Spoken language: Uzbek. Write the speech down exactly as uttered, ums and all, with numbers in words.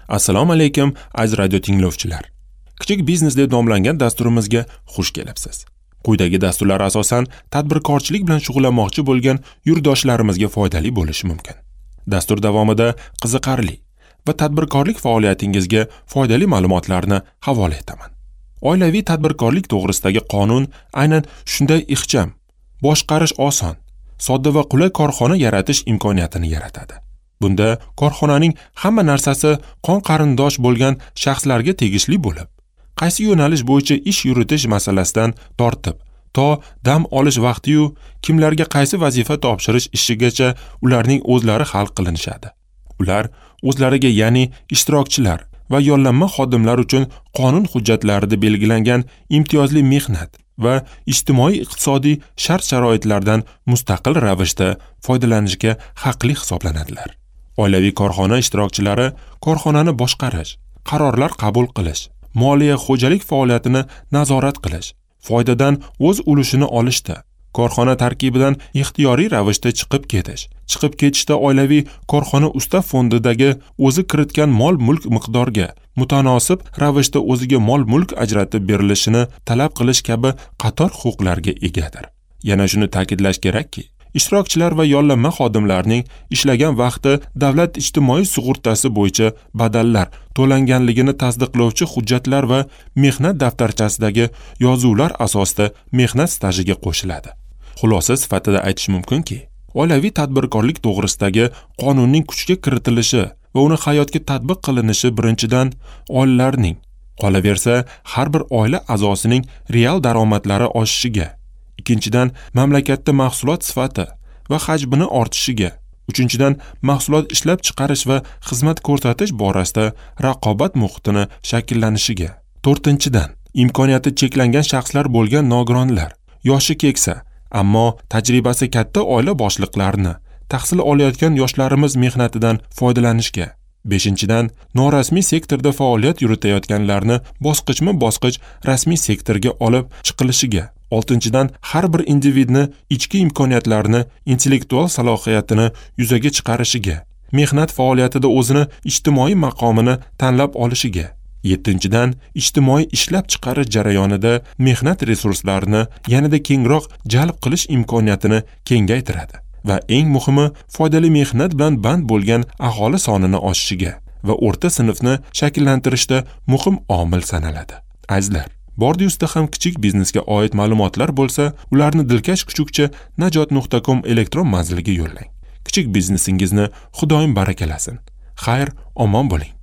Assalomu alaykum, aziz radio tinglovchilar. Kichik biznes deb nomlangan dasturimizga xush kelibsiz. Quyidagi dasturlar asosan tadbirkorchilik bilan shug'ullanmoqchi bo'lgan yurtdoshlarimizga foydali bo'lishi mumkin. Dastur davomida qiziqarli va tadbirkorlik faoliyatingizga foydali ma'lumotlarni havola etaman. Oilaviy tadbirkorlik to'g'risidagi qonun aynan shunday ixcham, boshqarish oson, sodda va qulay korxona yaratish imkoniyatini yaratadi. Bunda korxonaning hamma narsasi qon qarindosh bo'lgan shaxslarga tegishli bo'lib, qaysi yo'nalish bo'yicha ish yuritish masalasidan tortib, to dam olish vaqti-yu kimlarga qaysi vazifa topshirish ishigacha ularning o'zlari hal qilinishadi. Ular o'zlariga, ya'ni ishtirokchilar va yollanma xodimlar uchun qonun hujjatlarida belgilangan imtiyozli mehnat va ijtimoiy-iqtisodiy shart-sharoitlardan mustaqil ravishda foydalanishga haqli hisoblanadilar. Oilaviy korxona ishtirokchilari korxonani boshqarish, qarorlar qabul qilish, moliya xo'jalik faoliyatini nazorat qilish, foydadan o'z ulushini olishda, korxona tarkibidan ixtiyoriy ravishda chiqib ketish, chiqib ketishda oilaviy korxona ustav fondidagi o'zi kiritgan mol-mulk miqdoriga mutanosib ravishda o'ziga mol-mulk ajratib berilishini talab qilish kabi qator huquqlarga egadir. Yana shuni ta'kidlash kerakki, ishtirokchilar va yollanma xodimlarning ishlagan vaqti davlat ijtimoiy sug'urtasi bo'yicha badallar to'langanligini tasdiqlovchi hujjatlar va mehnat daftarchasidagi yozuvlar asosida mehnat stajiga qo'shiladi. Xulosa sifatida aytish mumkinki, oilaviy tadbirkorlik to'g'risidagi qonunning kuchga kiritilishi va uni hayotga tatbiq qilinishi birinchidan oilalarning, qolaversa har bir oila a'zosining real daromadlari oshishiga, ikkinchidan mamlakatda mahsulot sifati va hajmini ortishiga, uchinchidan mahsulot ishlab chiqarish va xizmat ko'rsatish borasida raqobat muhitini shakllanishiga, to'rtinchidan imkoniyati cheklangan shaxslar bo'lgan nogironlar, yoshi keksa, ammo tajribasi katta oila boshliqlarini, tahsil olayotgan yoshlarimiz mehnatidan foydalanishga, beshinchidan norasmiy sektorda faoliyat yuritayotganlarni bosqichma-bosqich rasmiy sektorga olib chiqilishiga, oltinchidan har bir individni ichki imkoniyatlarini, intellektual salohiyatini yuzaga chiqarishiga, mehnat faoliyatida o'zini ijtimoiy maqomini tanlab olishiga, yettinchidan ijtimoiy ishlab chiqarish jarayonida mehnat resurslarini yanada kengroq jalb qilish imkoniyatini kengaytiradi va eng muhimi foydali mehnat bilan band bo'lgan aholi sonini oshishiga va o'rta sinfni shakllantirishda muhim omil sanaladi. Azizlar, bordi-ustida ham kichik biznesga oid ma'lumotlar bo'lsa, ularni dilkash kuchukcha najot nuqta com elektron manziliga yo'llang. Kichik biznesingizni Xudoyim barakalasin. Xayr, omon bo'ling.